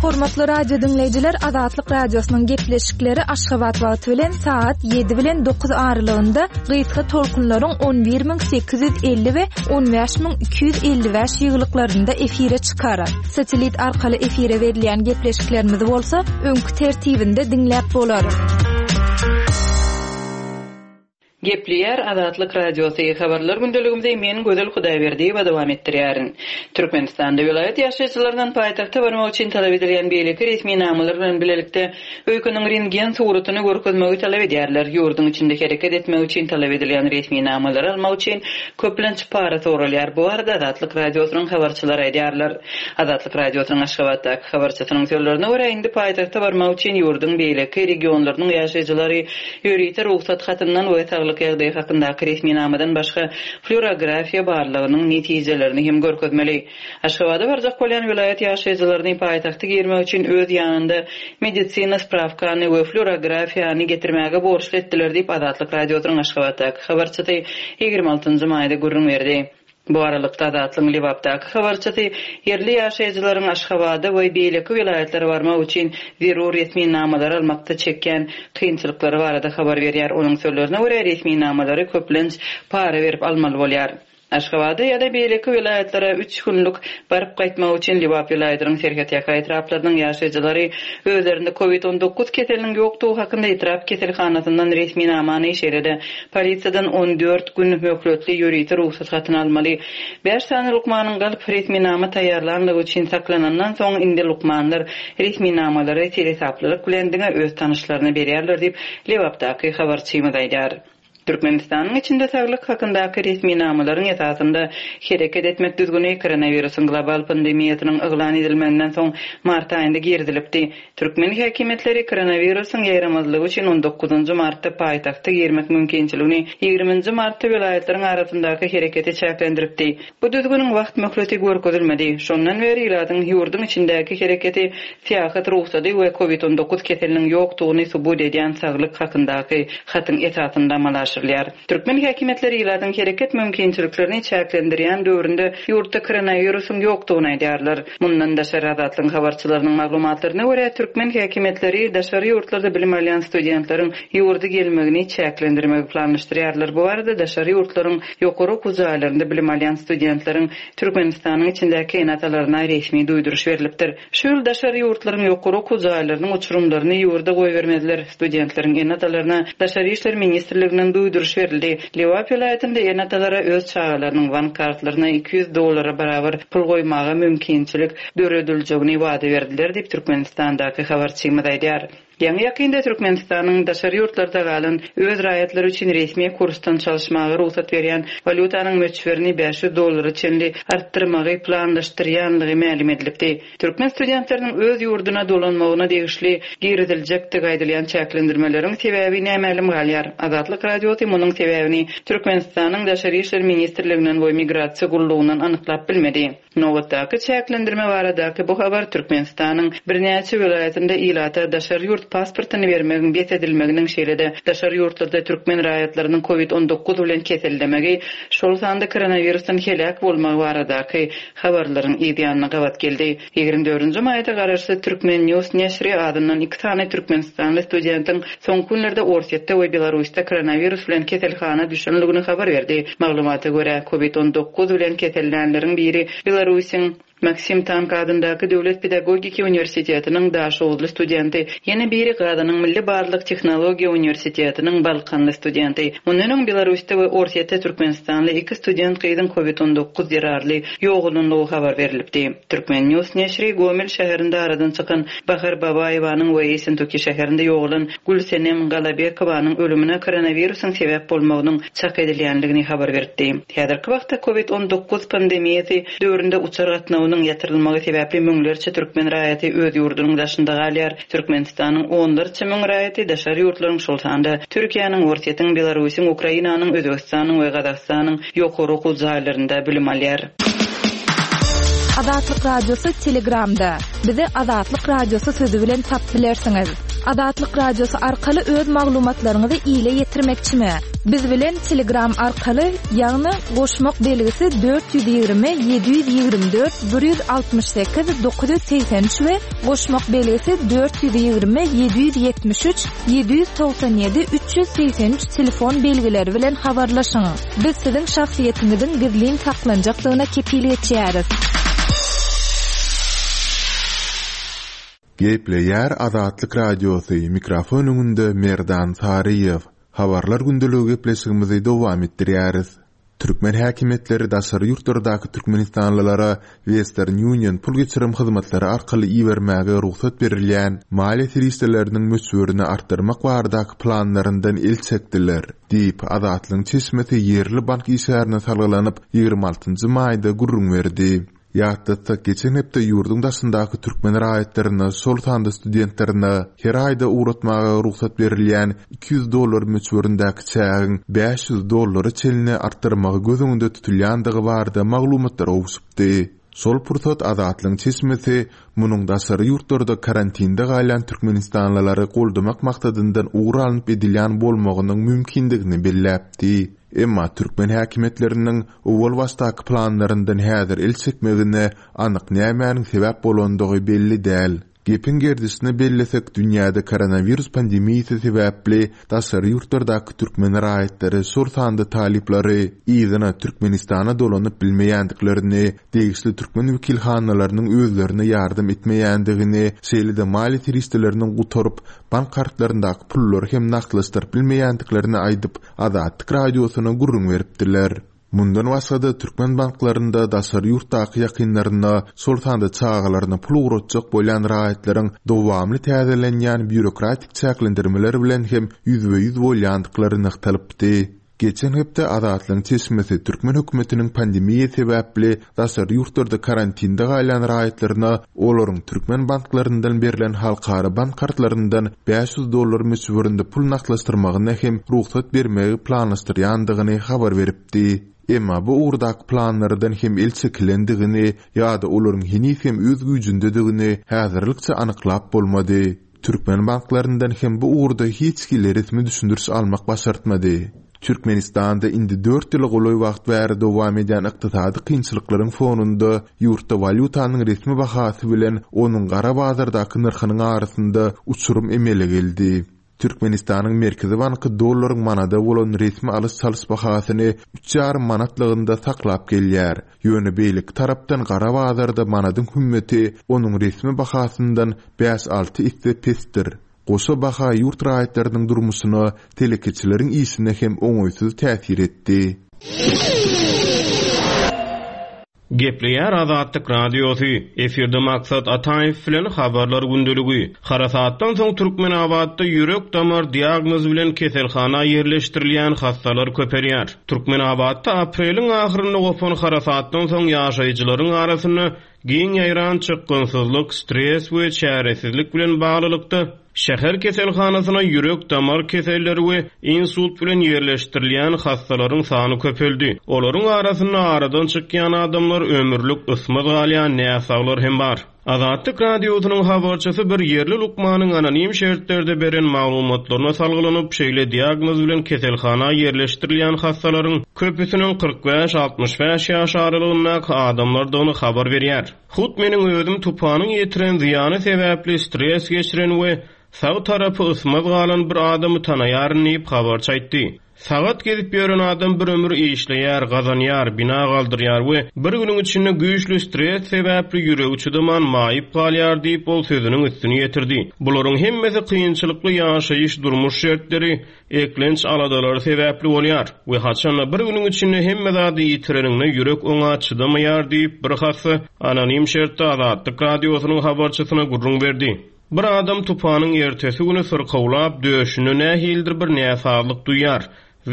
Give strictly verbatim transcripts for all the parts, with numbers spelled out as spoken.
Hormatly radio diňleýjiler, Azatlyk Radiosynyň gepleşikleri Aşgabat wagty bilen saat ýedi bilen dokuz aralygynda gysga tolkunlaryň on bir müň sekiz ýüz elli we on bäş müň iki ýüz elli bäş ýyglyklarynda efire çykar. Satelit arkaly efire berilýän gepleşiklerimizi bolsa öňki tertibinde diňläp bolar. Gepleýär Azatlyk Radiosy habarlar gündeligimizi men Gözel Hudaýberdiýewa dowam etdirýärin. Türkmenistanda welaýat ýaşaýjylaryndan paýtagta barmak üçin talap edilýän beýleki resminamalar bilen bilelikde öýkeniň rentgen suratyny görkezmegi talap edýärler. Ýurduň içinde hereket etmek üçin talap edilýän resminamalary almak üçin köplenç para soralýar. Bu barada Azatlyk Radiosynyň habarçylary aýdýarlar. Azatlyk Radiosynyň Aşgabatdaky habarçysynyň sözlerine görä indi paýtagta barmak üçin ýurduň beýleki regionlarynyň ýaşaýjylary ýörite rugsat hatyndan we saglyk ýagdaýy hakyndaky resminamadan başga flüorografiýa barlagynyň netijelerini hem görkezmeli. Aşgabada barjak bolýan welaýat ýaşaýjylaryny paýtagta girmek üçin öz ýanynda medisina sprawkany we flüorografiýany getirmäge borçly etdiler diýip Azatlyk Radiosynyň Aşgabatdaky habarçysy ýigrimi altynjy maýda gürrüň berdi. Bu aralykda Azatlygyň Lebapdaky habarçysy ýerli ýaşaýjylaryň Aşgabada we beýleki welaýatlara barmak üçin zerur resminamalary almakda çekýän kynçylyklary barada habar berýär. Onuň sözlerine görä resminamalary köplenç para berip almaly bolýar. Aşgabada ýa-da beýleki welaýatlara üç günlük baryp gaýtmak üçin Lebap welaýatynyň serhetýaka etraplarynyň ýaşaýjylary özlerinde COVID on dokuz keseliniň ýokdugy hakynda etrap keselhanasyndan resminamany, şeýle-de polisiýadan on dört gün möhletli ýörite rugsat hatyny almaly. Bäş sany lukmanyň galyp resminama taýýarlanlygy üçin saklanandan soň indi lukmanlar resminamalary seresaplylyk bilen diňe öz tanyşlaryna berýärler diýip Lebapdaky habarçymyz aýdýar. Türkmenistanyň içinde saglyk hakyndaky resminamalaryň esasynda hereket etmek düzgüni koronawirusyň global pandemiýasynyň yglan edilmeginden soň mart aýynda girizilipdi. Türkmen häkimiýetleri koronawirusyň ýaýramazlygy üçin on dokuzynjy martda paýtagta girmek mümkinçiligini ýigriminji martda welaýatlaryň arasyndaky hereketi çäklendiripdi. Bu düzgüniň wagt möhleti görkezilmedi. Şondan bäri ilatyň ýurduň içindäki hereketi syýahat rugsady we COVID on dokuz keseliniň ýokdugyny subut edýän saglyk hakyndaky hatyň esasynda amala aşyrylýar. Türkmen häkimiýetleri ilatyň hereket mümkinçiliklerini çäklendirýän döwründe ýurtda koronawirusyň ýokdugyny aýdýarlar. Mundan daşary Azatlygyň habarçylarynyň maglumatlaryna görä türkmen häkimiýetleri daşary ýurtlarda bilim alýan studentleriň ýurda gelmegini çäklendirmegi planlaşdyrýarlar. Bu barada daşary ýurtlaryň ýokary okuw jaýlarynda bilim alýan studentleriň Türkmenistanyň içindäki ene-atalaryna resmi duýduryş berilipdir. Şu ýyl daşary ýurtlaryň ýokary okuw jaýlarynyň uçurymlaryny ýurda goýbermezler. Studentleriň ene-atalaryna Daşary işler ministrliginden duýduryş berildi. Lebap welaýatynda ene-atalara öz çagalarynyň bank kartlaryna iki ýüz dollara barabar pul goýmaga mümkinçilik dörediljegini wada berdiler diýip Türkmenistandaky habarçymyz aýdýar. Ýaňy ýakynda Türkmenistanyň daşary ýurtlarda galan öz raýatlary üçin resmi kursdan çalışmaga rugsat berýän walýutanyň möçberini bäş ýüz dollara çenli artdyrmagy planlaşdyrýanlygy mälim edilipdi. Türkmen studentleriniň öz ýurduna dolanmagyna degişli giriziljekdigi aýdylýan çäklendirmeleriň sebäbi nämälim galýar. Azatlyk Radiosy munuň sebäbini Türkmenistanyň Daşary işler ministrliginden we migrasiýa gullugyndan anyklap bilmedi. Nobatdaky çäklendirme baradaky bu habar Türkmenistanyň birnäçe welaýatynda ilata daşary ýurt pasportyny bermegiň bes edilmeginiň şeýle-de daşary ýurtlarda türkmen raýatlarynyň COVID on dokuz bilen kesellemegi, şol sanda koronavirusdan heläk bolmagy baradaky habarlaryň ýanyna gabat geldi. Ýigrimi dördünji maýda garaşsyz Türkmen News neşri adyndan iki sany Türkmenistanly studentiň soňky günlerde Orsýetde we Belarusda koronavirus bilen keselhana düşenligini habar berdi. Maglumata görä COVID on dokuz bilen kesellänleriň biri Belarusyň Maksim Tank adyndaky Döwlet Pedagogiki Uniwersitetiniň Daşoguzly studenti, ýene biri Gazanyň Milli Barlyk Tehnologiýa Uniwersitetiniň Balkanly studenti. Mundan öň Belarusda we Orsýetde Türkmenistanly iki student gyzyň COVID on dokuz zerarly ýogalanlygy habar berilipdi. Türkmen News neşri Gomel şäherinde aradan çykan Bahar Babaýewanyň we Ýesentuki şäherinde ýogalan Gülsenem Galabekowanyň ölümine koronawirusyň sebäp bolmagynyň çak edilýänligini habar berdi. Häzirki wagtda COVID on dokuz pandemiýasy döwründe uçar gatnawynyň ýatyrylmagy sebäpli müňlerçe türkmen raýaty öz ýurdunyň daşynda galýar. Türkmenistanyň onlarça müň raýaty daşary ýurtlaryň şol sanda Türkiýäniň, Orsýetiň, Belarusyň, Ukrainanyň, Özbegistanyň we Gazagystanyň ýokary okuw jaýlarynda bilim alýar. Azatlyk Radiosy Telegramda. Bizi Azatlyk Radiosy sözi bilen tap bilersiňiz. Azatlyk Radiosy arkaly öz maglumatlaryňyzy ile ýetirmekçimi? Biz bilen Telegram arkaly, ýagny goşmak belgisi dört ýüz ýigrimi ýedi ýüz ýigrimi dört bir ýüz altmyş sekiz dokuz ýüz segsen üç we goşmak belgisi dört ýüz ýigrimi ýedi ýüz ýetmiş üç ýedi ýüz togsan ýedi üç ýüz segsen üç telefon belgileri bilen habarlaşyň. Biz siziň şahsyýetiňiziň gizlin saklanjakdygyna kepil geçýäris. Gepleýär Azatlyk Radiosy, mikrofon öňünde Merdan Saryýew. Habarlar gündeligi gepleşigimizi dowam etdirýäris. Türkmen häkimiýetleri daşary ýurtlardaky türkmenistanlylara Western Union pul geçirim hyzmatlary arkaly ibermäge rugsat berilýän maliýe serişdeleriniň möçberini artdyrmak baradaky planlaryndan el çekdiler, diýip Azatlygyň çeşmesi ýerli bank işgärine salgylanyp ýigrimi altynjy maýda gürrüň berdi. Ýatlatsak, geçen hepde ýurduň daşyndaky türkmen raýatlaryna, şol sanda studentlerine her aýda ugratmaga rugsat berilýän iki ýüz dollar möçberindäki çägiň bäş ýüz dollara çenli artdyrmagy göz öňünde tutulýandygy barada maglumatlar gowşupdy. Şol pursat Azatlygyň çeşmesi munuň daşary ýurtlarda karantinde galýan türkmenistanlylary goldamak maksadyndan ugur alnyp edilýän bolmagynyň mümkindigini belläpdi. Emma türkmen häkimiýetleriniň owal başdaky planlaryndan häzir el çekmegine anyk nämäniň sebäp bolandygy belli däl. Gepiň gerdişine bellesek, dünýäde koronawirus pandemiýasy sebäpli daşary ýurtlardaky türkmen raýatlary, şol sanda talyplary yzyna Türkmenistana dolanyp bilmeýändiklerini, degişli türkmen wekilhanalarynyň özlerine ýardam etmeýändigini, şeýle-de maliýe serişdeleriniň gutaryp, bank kartlaryndaky pullary hem nagtlaşdyryp bilmeýändiklerini aýdyp, Azatlyk Radiosyna gürrüň beripdiler. Mundan başga-da türkmen banklarynda daşary ýurtdaky ýakynlaryna, şol sanda çagalaryna pul ugratjak bolýan raýatlaryň dowamly täzelenýän býurokratik çäklendirmeler bilen hem ýüzbe-ýüz bolýandyklary nygtalypdy. Geçen hepde Azatlygyň çeşmesi türkmen hökümetiniň pandemiýa sebäpli daşary ýurtlarda karantinde galýan raýatlaryna olaryň türkmen banklaryndan berlen halkara bank kartlaryndan bäş ýüz dollar möçberinde pul nagtlaşdyrmagyna hem rugsat bermegi planlaşdyrýandygyny habar beripdi. Emma bu ugurdaky planlardan hem el çekilendigini ýa-da olaryň heniz hem öz güýjündedigini häzirlikçe anyklap bolmady. Türkmen banklaryndan hem bu ugurda hiç hili resmi düşündiriş almak başartmady. Türkmenistanda indi dört ýyla golaý wagt bäri dowam edýän ykdysady kynçylyklaryň fonunda ýurtda walýutanyň resmi bahasy bilen onuň gara bazardaky nyrhynyň arasynda uçurum emele geldi. Türkmenistanyň Merkezi Banky dollaryň manada bolan resmi alyş-çalyş bahasyny üç ýarym manatlygynda saklap gelýär. Ýöne beýleki tarapdan gara bazarda manadyň hümmeti onuň resmi bahasyndan bäş-alty esse pesdir. Goşa baha ýurt raýatlarynyň durmuşyna, telekeçileriň işine hem oňaýsyz täsir etdi. Gepleýär Azatlyk Radiosy, efirde Maksat Ataýew bilen habarlar gündeligi. Harasatdan soň Türkmenabatda ýürek damar diagnoz bilen keselhana ýerleşdirilýän hastalar köpelýär. Türkmenabatda apreliň ahyrynda gopan harasatdan soň ýaşaýjylaryň arasynda giň ýaýran çykgynsyzlyk, stres we çäresizlik bilen baglylykda şäher keselhanasyna ýürek damar keselleri we insult bilen ýerleşdirilýän hastalaryň sany köpeldi. Olaryň arasynda aradan çykýan adamlar, ömürlik ysmaz galýan näsaglar hem bar. Azatlyk Radiosynyň habarçysy bir ýerli lukmanyň anonim şertlerde beren maglumatlaryna salgylanyp, şeýle diagnoz bilen keselhana ýerleşdirilýän hastalaryň köpüsiniň kyrk bäş altmyş bäş ýaş aralygyndaky adamlardygyny habar berýär. Hut meniň özüm tupanyň ýetiren zyýany sebäpli stres geçiren we sag tarapy ysmaz galan bir adamy tanaýaryn diýip habarçy aýtdy. Sagat gezip ýören adam bir ömür işleýär, gazanýar, bina galdyrýar we bir günüň içinde güýçli stres sebäpli ýüregi çydaman maýyp galýar diýip ol sözüniň üstüni ýetirdi. Bularyň hemmesi kynçylykly ýaşaýyş durmuş şertleri, eklenç aladalary sebäpli bolýar we haçanda bir günüň içinde hemme zady ýitireninde ýürek oňa çydamaýar diýip bir hassa anonim şertde Azatlyk Radiosynyň habarçysyna gürrüň berdi. Bir adam tupanyň ertesi günü syrkawlap döşünde nähilidir bir näsazlyk duýar.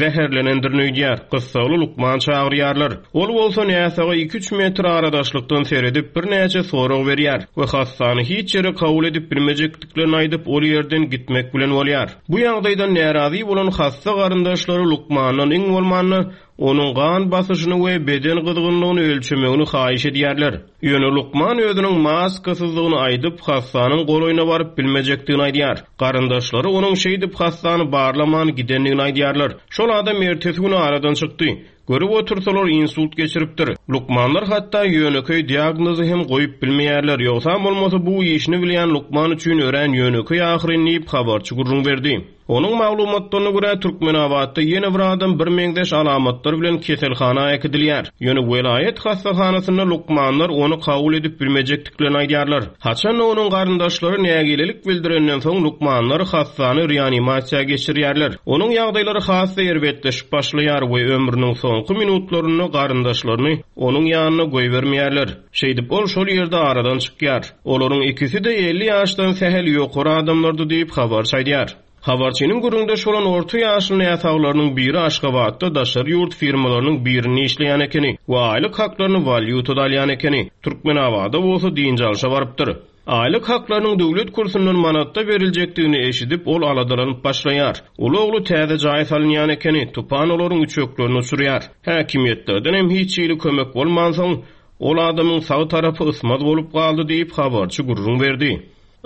Zäherlenendir öýdýär. Gyssagly lukman çagyrýarlar. Ol bolsa näsaga iki-üç metr aradaşlykdan seredip birnäçe sorag berýär we hassany hiç ýere kabul edip bilmejekdiklerini aýdyp ol ýerden gitmek bilen bolýar. Bu ýagdaýdan närazy bolan hassa garyndaşlary lukmandan iň bolmanda onuň gan basyşyny we beden gyzgynlygyny ölçemegini haýyş edýärler. Ýöne lukman özüniň maskasyzlygyny aýdyp, hassanyň golaýyna baryp bilmejekdigini aýdýar. Garyndaşlary onuň şeýdip hassany barlaman gidendigini aýdýarlar. Şol adam ertesi güni aradan çykdy. Görüp otursalar insult geçiripdir. Lukmanlar hatda ýönekeý diagnozy hem goýup bilmeýärler. Ýogsa bolmasa bu işini bilýän lukman üçin örän ýönekeý ahyryn diýip habarçy gürrüň berdi. Onuň maglumatlaryna görä Türkmenabatda ýene bir adam bir meňzeş alamatlar bilen keselhana äkidilýär. Ýöne welaýat hastahanasynda lukmanlar ony kabul edip bilmejekdiklerini aýdýarlar. Haçan onuň garyndaşlary nägilelik bildirenden soň lukmanlar hassany reanimasiýa geçirýärler. Onuň ýagdaýlary has erbetleşip başlaýar we ömrüniň soňky minutlarynda garyndaşlaryny onuň ýanyna goýbermeýärler. Şeýdip ol şol ýerde aradan çykýar. Olaryň ikisi de elli ýaşdan sähel ýokary adamlardy diýip habarçy aýdýar. Habarçynyň gürrüňde şolan orta ýaşly näsaglarynyň biri Aşgabatda daşary ýurt firmalarynyň birini işleýän ekeni we aýlyk haklaryny walýutada alýan ekeni. Türkmenabada bolsa dynç alşa barypdyr. Aýlyk haklarynyň döwlet kursundan manatda beriljekdigini eşidip, ol aladalanyp başlaýar. Uly ogly täze jaý salynýan ekeni, tupan olaryň üçeklerini uçurýar. Häkimiýetlerden hem hiç hili kömek bolmansoň, ol adamyň sag tarapy ysmaz bolup galdy diýip habarçy gürrüň berdi.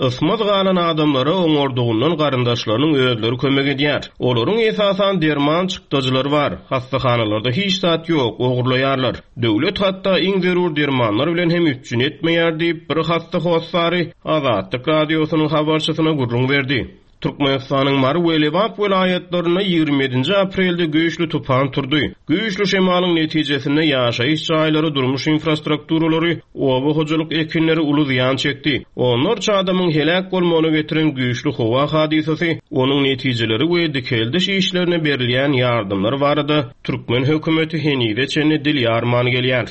Ysmaz galan adamlara oňardygyndan garyndaşlarynyň özleri kömek edýär. Olaryň esasan derman çykdajylary bar. Hastahanelarda hiç zat ýok, ogurlaýarlar. Döwlet hatda iň zerur dermanlar bilen hem üpjün etmeýär diýip bir hasta hossary Azatlyk radiosynyň habarçysyna gürrüň berdi. Türkmenistanyň Mary we Lebap welaýatlarynda ýigrimi ýedinji aprelde güýçli tupan turdy. Güýçli şemalyň netijesinde ýaşaýyş jaýlary, durmuş infrastrukturalary, oba hojalyk ekinleri uly zyýan çekdi. Onlarça adamyň heläk bolmagyna getiren güýçli howa hadysasy, onuň netijeleri we dikeldiş işlerine berilýän ýardamlar barada türkmen hökümeti henize çenli dil ýarman gelýär.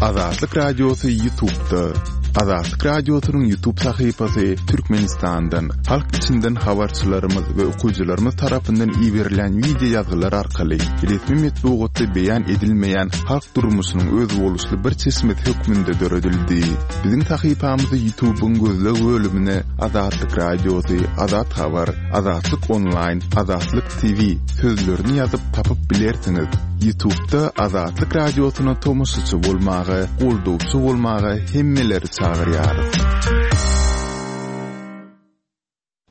Azatlyk Radiosy YouTube'da. Azatlyk Radiosynyň YouTube sahypasy Türkmenistandan, halk içinden habarçylarymyz we okyjylarymyz tarapyndan iberilen video ýazgylar arkaly resmi metbugatda beýan edilmeýän halk durmuşynyň özboluşly bir çeşmesi hökmünde döredildi. Biziň sahypamyzy YouTube'yň gözleg bölümine Azatlyk Radiosy, Azat Habar, Azatlyk Online, Azatlyk T V sözlerini ýazyp tapyp bilersiňiz. YouTube'da Azatlyk Radiosyna tomaşaçy bolmaga, goldawçy bolmaga hemmeleri çagyrýarys.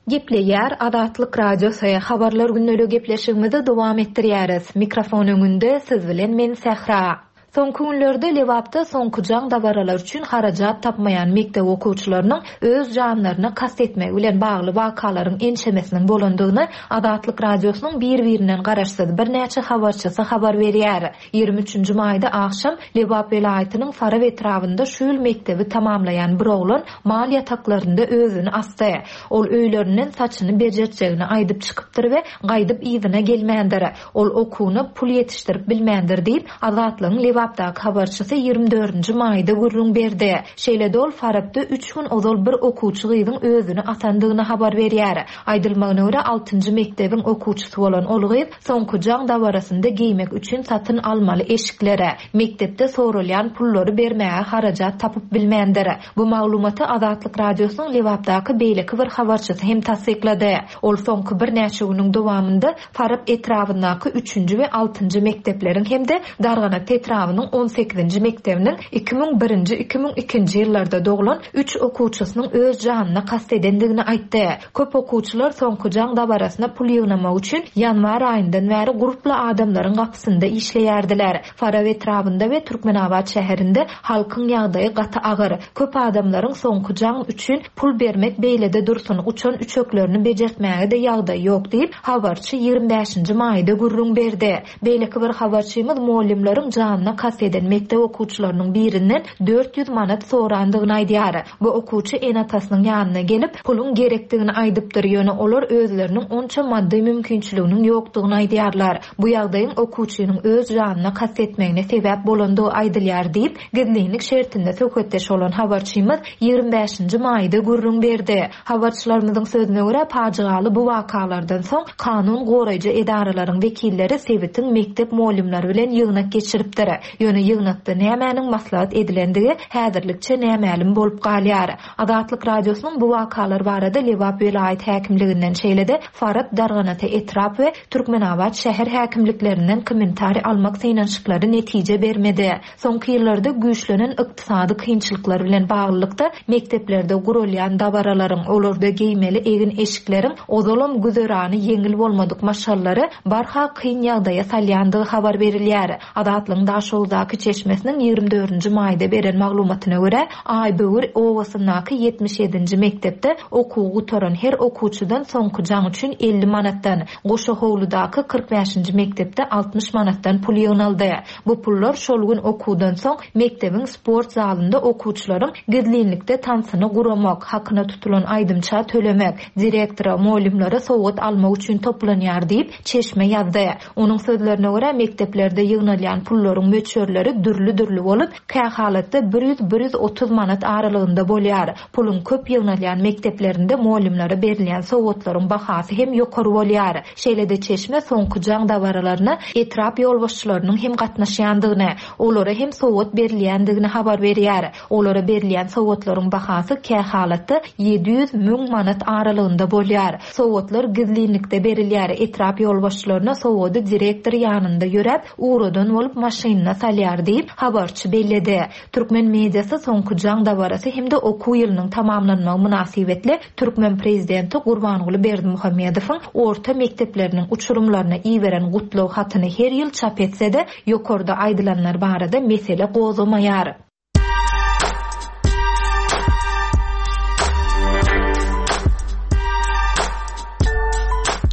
Gepleýär Azatlyk Radiosy habarlar günlügi gepleşigimizi dowam etdirýäris. Mikrofon öňünde siz bilen men Sähra. Soňky günlerde Lebapda soňky jaň dabaralar üçin harajat tapmaýan mekdep okuwçylarynyň öz janlaryna kast etmegi bilen bagly wakalaryň ençemesiniň bolandygyny Azatlyk Radiosynyň bir-birinden garaşsyz birnäçe habarçysy habar berýär. Ýigrimi üçünji maýda agşam Lebap welaýatynyň Farap etrabynda şu ýyl mekdebi tamamlaýan bir oglan mal ýataklarynda özüni asdy. Ol öýlerinden saçyny bejertjegini aýdyp çykypdyr we gaýdyp yzyna gelmändir. Ol okuwyna pul ýetişdirip bilmändir diýip Azatlygyň Lebapdaky habarçysy ýigrimi dördünji maýda gürrüň berdi. Şeýle-de ol Farapda üç gün ozal bir okuwçy gyzyň özüni atandygyny habar berýär. Aýdylmagyna görä altynjy mekdebiň okuwçysy bolan ol gyz soňky jaň dabarasynda geýmek üçin satyn almaly eşiklere, mekdepde sorulýan pullary bermäge harajat tapyp bilmändir. Bu maglumaty Azatlyk Radiosynyň Lebapdaky beýleki bir habarçysy hem tassyklady. Ol soňky birnäçe günüň dowamynda Farap etrabyndaky üçünji we altynjy mekdepleriň hem-de Darganat etrabynyň on sekizinji mekdebiniň iki müň birinji, iki müň ikinji ýyllarda doglan üç okuwçysynyň öz janyna kast edendigini aýtdy. Köp okuwçylar soňky jaň dabarasyna pul ýygnamak üçin ýanwar aýyndan bäri gurply adamlaryň gapysynda işleýärdiler. Farap etrabynda we Türkmenabat şäherinde halkyň ýagdaýy gaty agyr. Köp adamlaryň soňky jaň üçin pul bermek beýlede dursun, uçan üçeklerini bejertmäge de ýagdaý ýok diýip habarçy ýigrimi bäşinji maýda gürrüň berdi. Beýleki bir habarçymyz muallimleriň janyna kast eden mekdep okuwçylarynyň birinden dört ýüz manat sorandygyny aýdýar. Bu okuwçy ene-atasynyň ýanyna gelip puluň gerekdigini aýdypdyr. Ýöne olar özleriniň onça maddy mümkinçiliginiň ýokdugyny aýdýarlar. Bu ýagdaýyň okuwçynyň öz janyna kast etmegine sebäp bolandygy aýdylýar diýip, gizlinlik şertinde söhbetdeş bolan habarçymyz ýigrimi bäşinji maýda gürrüň berdi. Habarçylarymyzyň sözüne görä pajygaly bu wakalardan soň kanun goraýjy edaralaryň wekilleri sebitiň mekdep muallimleri bilen ýygnak geçiripdir. Ýöne ýygnakda nämäniň maslahat edilendigi häzirlikçe nämälim bolup galýar. Azatlyk Radiosynyň bu wakalar barada Lebap welaýat häkimliginden şeýle-de Farap Darganata etrap we Türkmenabat şäher häkimliklerinden kommentariý almak synanyşyklary netije bermedi. Soňky ýyllarda güýçlenen ykdysady kynçylyklar bilen baglylykda mekdeplerde gurulýan dabaralaryň, olarda geýmeli egin eşikleriň ozalam güzerany ýeňil bolmadyk maşgalalary barha kyn ýagdaýa salýandygy habar berilýär. Azatlygyň Daşoguzdaky çeşmesiniň ýigrimi dördünji maýda beren maglumatyna görä, Aýböwür obasyndaky ýetmiş ýedinji mekdepde okuw gutaran her okuwçydan soňky jaň üçin elli manatdan, Goşa howludaky kyrk bäşinji mekdepde altmyş manatdan pul ýygnaldy. Bu pullar şol gün okuwdan soň mekdebiň sport zalynda okuwçylaryň gizlinlikde tansyny guramak, hakyna tutulan aýdymça tölemek, direktora, mugallymlara sowgat almak üçin toplanýar diýip, çeşme ýazdy. Onuň sözlerine görä, mekdeplerde ýygnalýan pullaryň möçberleri dürli-dürli bolup, kähalatda bir ýüz bir ýüz otuz manat aralygynda bolýar. Puluň köp ýygnalýan mekdeplerinde mugallymlara berilýän sowgatlaryň bahasy hem ýokary bolýar. Şeýle-de çeşme soňky jaň dabaralaryna etrap ýolbaşçylarynyň hem gatnaşýandygyny, olara hem sowgat berilýändigini habar berýär. Olara berilýän sowgatlaryň bahasy kähalatda ýedi ýüz müň manat aralygynda bolýar. Sowgatlar gizlinlikde berilýär. Etrap ýolbaşçylaryna sowgady direktor ýanynda ýöräp, ugradan bolup maşynyna salýar diýip, habarçy belledi. Türkmen mediasy soňky jaň dabarasy hem-de okuw ýylynyň tamamlanmagy mynasybetli Türkmen prezidenti Gurbanguly Berdimuhamedowyň orta mekdepleriniň uçurymlaryna iberen gutlag hatyny her ýyl çap etse-de, ýokarda aýdylanlar barada mesele gozgamaýar.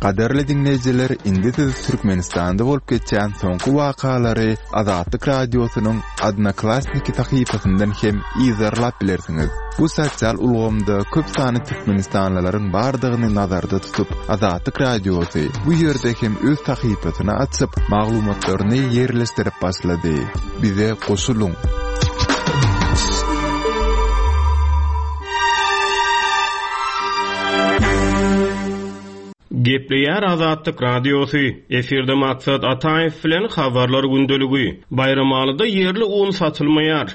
Gaderli dinleýjiler, indi siz Türkmenistanda bolup geçýän soňky wakalary Azatlyk Radiosynyň Odnoklassniki sahypasyndan hem yzarlap bilersiňiz. Bu sosial ulgamda köp sanly türkmenistanlylaryň bardygyny nazarda tutup, Azatlyk Radiosy bu ýerde hem öz sahypasyny açyp, maglumatlaryny ýerleşdirip başlady. Bize goşulyň. Gepleýär Azatlyk Radiosy, efirde Maksat Ataýew bilen habarlar gündeligi. Baýramalyda ýerli un satylmaýar.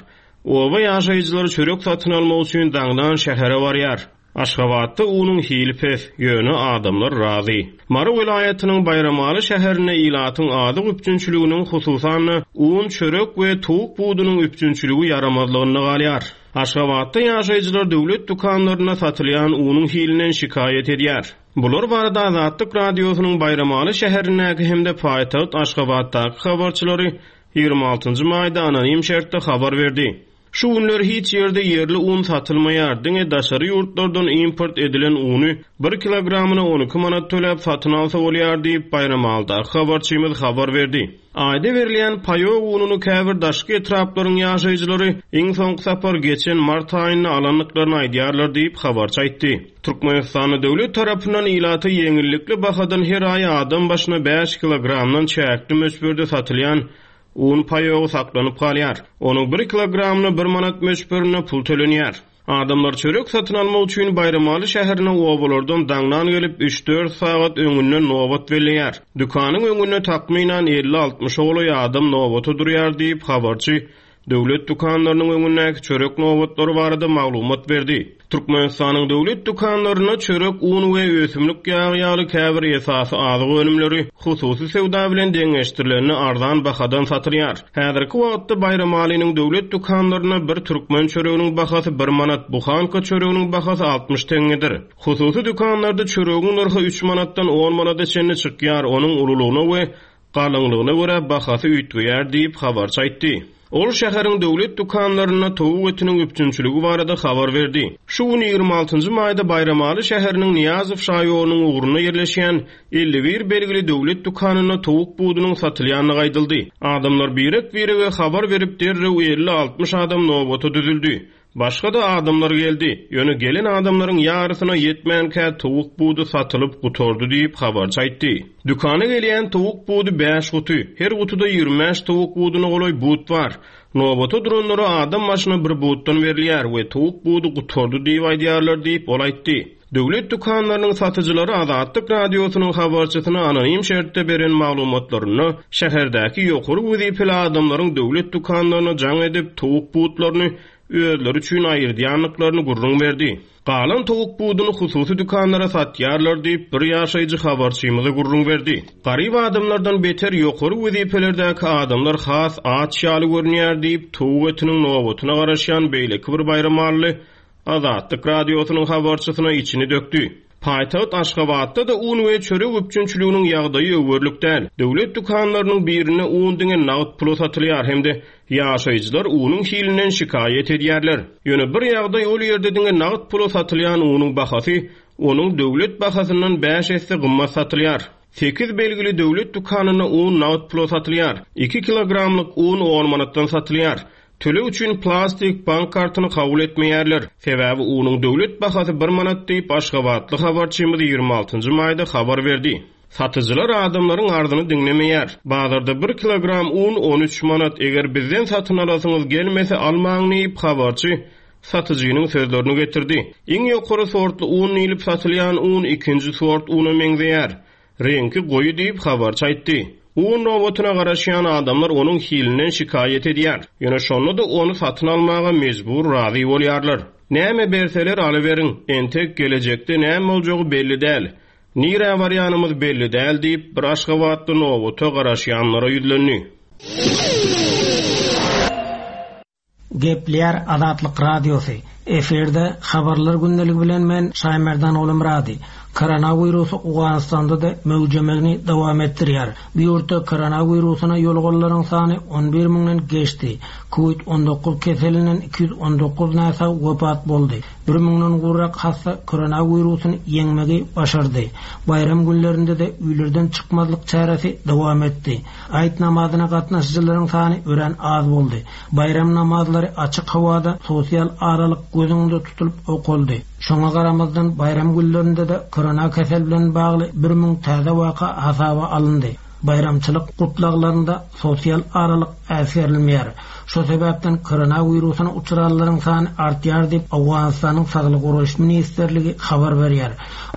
Oba ýaşaýjylary çörek satyn almak üçin daňdan şähere barýar. Aşgabatda unuň hili pes, ýöne adamlar razy. Mary welaýatynyň Baýramaly şäherinde ilatyň azyk üpjünçiliginiň hususan un, çörek we towuk budunyň üpjünçiligi ýaramazlygynda galýar. Aşgabatda ýaşaýjylar döwlet dükanlarynda satylýan unuň hilinden şikaýat edýär. Bular barada Azatlyk Radiosynyň Baýramaly şäherindäki hem-de paýtagt Aşgabatdaky habarçylary ýigrimi altynjy maýda anonim şertde habar berdi. Şu günler hiç ýerde ýerli un satylmaýar, diňe daşary ýurtlardan import edilen uny bir kilogramyna on iki manat töläp satyn alsa bolýar diýip Baýramalydaky habarçymyz habar berdi. Aýda berilýän paýok ununy käbir daşky etraplaryň ýaşaýjylary iň soňky sapar geçen mart aýynda alandyklaryny aýdýarlar diýip habarçy aýtdy. Türkmenistanda döwlet tarapyndan ilata ýeňillikli bahadan her aý adam başyna bäş kilogramdan çäkli möçberde satylýan un paýogy saklanyp galýar. Onuň bir kilogramyna bir manat möçberinde pul tölenýär. Adamlar çörek satyn almak üçin Baýramaly şäherine obalardan daňdan gelip üç-dört sagat öňünden nobat belleýär. Dükanyň öňünde takmynan elli altmyş golaý adam nobata durýar diýip habarçy döwlet dükanlarynyň öňündäki çörek nobatlary barada maglumat berdi. Türkmenistanyň döwlet dükanlarynda çörek, un we ösümlik ýagy ýaly käbir esasy azyk önümleri hususy söwda bilen deňeşdirilende arzan bahadan satylýar. Häzirki wagtda Baýramalynyň döwlet dükanlarynda bir türkmen çöreginiň bahasy bir manat, buhanka çöreginiň bahasy altmyş teňňedir. Hususy dükanlarda çöregiň nyrhy üç manatdan on manata çenli çykýar, onuň ululygyna we galyňlygyna görä bahasy üýtgeýär diýip habarçy aýtdy. Ol şäheriň döwlet dükanlarynda towuk etiniň üpjünçiligi barada habar berdi. Şu gün ýigrimi altynjy maýda Baýramaly şäheriniň Niýazow şaýolunyň ugrunda ýerleşýän elli bir belgili döwlet dükanynda towuk budunyň satylýandygy aýdyldy. Adamlar birek-birege habar berip derrew elli altmyş adam nobata düzüldi. Başga da adamlar geldi. Ýöne gelen adamlaryň ýarysyna ýetmänkä towuk budy satylyp gutardy diýip habarçy aýtdy. Dükana gelýän towuk budy bäş guty, her gutuda ýigrimi bäş towuk buduna golaý but bar. Nobata duranlara adam başyna bir butdan berilýär we towuk budy gutardy diýip aýdýarlar diýip ol aýtdy. Döwlet dükanlarynyň satyjylary Azatlyk Radiosynyň habarçysyna anonim şertde beren maglumatlarynda şäherdäki ýokary wezipeli adamlaryň döwlet dükanlaryna jaň edip towuk butlaryny özleri üçin aýyrdýandyklaryny gürrüň berdi. Galan towuk buduny hususy dükanlara satýarlar diýip bir ýaşaýjy habarçymyza gürrüň berdi. Garyp adamlardan beter ýokary wezipelerdäki adamlar has aç ýaly görünýär diýip towuk etiniň nobatyna garaşýan beýleki bir baýramally Azatlyk Radiosynyň habarçysyna içini dökdi. Paýtagt Aşgabatda da un we çörek üpjünçiliginiň ýagdaýy öwerlik däl. Döwlet dükanlarynyň birinde un diňe nagt pula satylýar hem-de ýaşaýjylar unuň hilinden şikaýat edýärler. Ýöne bir ýagdaý ol ýerde diňe nagt pula satylýan unuň bahasy onuň döwlet bahasyndan bäş esse gymmat satylýar. Sekiz belgili döwlet dükanynda un nagt pula satylýar. Iki kilogramlyk un on manatdan satylýar. Töleg üçin plastik bank kartyny kabul etmeýärler. Sebäbi unuň döwlet bahasy bir manat diýip Aşgabatly habarçymyz ýigrimi altynjy maýda habar berdi. Satyjylar adamlaryň arzyny diňlemeýär. Bazarda bir kilogram un on üç manat, eger bizden satyn alasyňyz gelmese almaň diýip habarçy satyjynyň sözlerini getirdi. Iň ýokary sortly un diýilip satylýan un ikinji sort una meňzeýär. Reňki goýy diýip habarçy aýtdy. Un nobatyna garaşýan adamlar onuň hilinden şikaýat edýär. Ýöne şonda da ony satyn almaga mejbur razy bolýarlar. Näme berseler alyberiň, entek gelejekde näme boljagy belli däl. Nirä barýanymyz belli däl diýip bir Aşgabatda nobata garaşýanlara ýüzlendi. Gepleýär Azatlyk Radiosy. Efirde habarlar gündeligi bilen men Şaýmerdan Oglumyrady. Koronavirusy Owganystanda da möwjemegini dowam etdirýär. Bu ýurtda koronawirusyna ýolganlaryň sany on bir müňden geçdi. Covid on dokuz keselinden iki ýüz on dokuz näsag wepat boldy. Bir müňden gowrak hassa koronawirusyny ýeňmegi başardy. Bayram günlerinde de öýlerden çykmazlyk çäresi dowam etdi. Aýt namazyna gatnaşyjylaryň sany örän az boldy. Bayram namazlary açyk howada sosial aralyk göz öňünde tutulyp okuldy. Şoňa garamazdan bayram günlerinde de korona kesel bilen bagly bir müň täze waka hasaba alyndy. Bayramçylyk gutlaglarynda sosial aralyk äsgerilmeýär. Şo sebäpden koronawirusyna uçranlaryň sany artýar diýip Owganystanyň Saglyk goraýyş ministrligi habar berýär.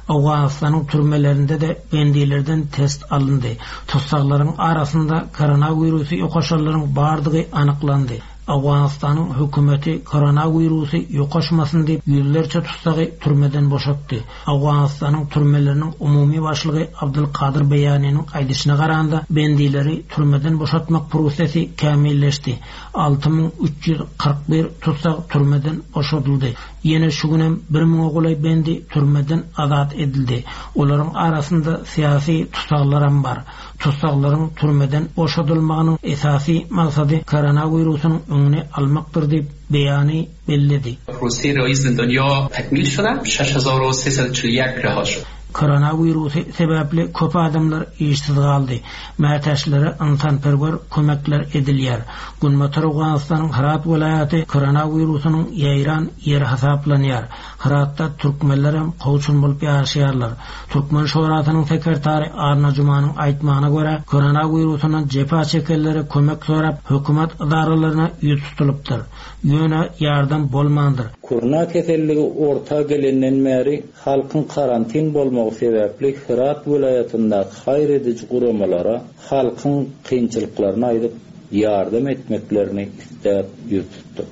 Owganystanyň türmelerinde de bendilerden test alyndy. Tussaglaryň arasynda koronawirusy ýokaşanlaryň bardygy anyklandy. Owganystanyň hökümeti koronawirusy ýokaşmasyn diýip ýüzlerçe tutsagy türmeden boşatdy. Owganystanyň türmeleriniň umumy başlygy Abdulkadir Beýanynyň aýdyşyna garanda bendileri türmeden boşatmak prosesi kämilleşdi. Alty müň üç ýüz kyrk bir tussag türmeden boşadyldy. Ýene şu günem bir müňe golaý bendi türmeden azat edildi. Olaryň arasynda syýasy tussaglaram bar. Tussaglaryň türmeden boşadylmagynyň esasy maksady koronawirusyň öňüni almakdyr diýip beýany belledi. Prosesi رئیس زندانیا تکمیل شده. شش هزار و سیصد و چهل و یک رها شد. Koronavirusy sebäpli köp adamlar işsiz galdy. Mätäçlere insanperwer kömekler edilýär. Günbatar Owganystanyň Hyrat welaýaty koronawirusynyň ýaýran ýeri hasaplanýar. Hyratda türkmenler hem kowçum bolup ýaşaýarlar. Türkmen Şurasynyň sekretary Arna Jumanyň aýtmagyna görä, koronawirusynyň jepa çekenlere kömek sorap hökümet idaralaryna ýüz tutulypdyr. Ýöne ýardam bolmandyr. Korona keselligi orta gelenden bäri halkyň karantin bolmagy sebäpli Hyrat welaýatyndaky haýyr ediji guramalara halkyň kynçylyklaryny aýdyp ýardam etmeklerini isläp ýüz tutduk.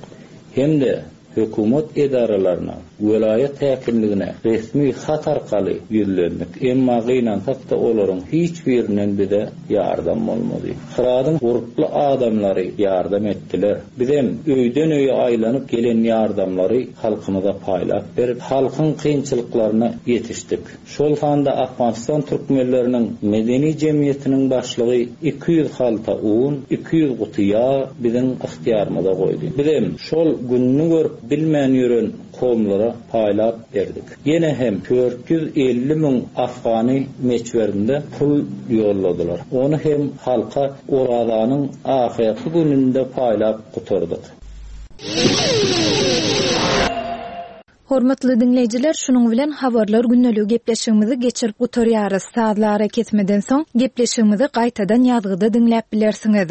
Hem-de hökümet edaralaryna, welaýat häkimligine resmi hat arkaly ýüzlendik. Emma gynansak-da olaryň hiç birinden bize ýardam bolmady. Hyradyň gurply adamlary ýardam etdiler. Bizem öýden öýe aýlanyp gelen ýardamlary halkymyza paýlap berip, halkyň kynçylyklaryna ýetişdik. Şol sanda Afganistan türkmenleriniň medeni jemgyýetiniň başlygy iki ýüz halta un, iki ýüz guty ýag biziň ygtyýarymyza goýdy. Bizem şol gününi görüp bilmän ýören kowumlara paýlap berdik. Ýene hem dört ýüz elli müň Afgany meçwerinde pul ýolladylar. Ony hem halka Orazanyň ahyrky gününde paýlap gutardyk. Hormatly dinleýjiler, şunuň bilen habarlar gündeligi gepleşigimizi geçirip gutarýarys. Sazlara kesmeden soň gepleşigimizi gaýtadan ýazgyda diňläp bilersiňiz.